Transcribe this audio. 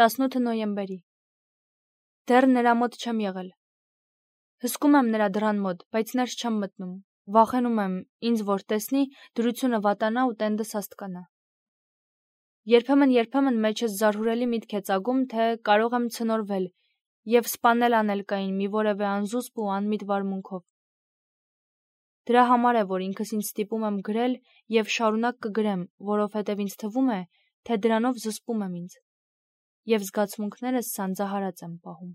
18 նոյեմբերի։ Դեռ նրա մոտ չեմ եղել։ Հսկում եմ նրա դռան մոտ, բայց ներս չեմ մտնում։ Վախենում եմ, ինձ որ տեսնի, դրությունը վատանա ու տենդս աստկանա։ Երբեմն մեջս զարհուրելի միտք է ծագում, թե կարող եմ ցնորվել և սպանել անելկային մի որևէ անզուսպ ու անմիտ վարմունքով։ Դրա համար է, որ ինքս ինձ ստիպում եմ գրել և շարունակ կգրեմ, որովհետև ինձ թվում է, թե դրանով զսպում եմ ինձ, և զգացմունքներս սանձահարած եմ պահում։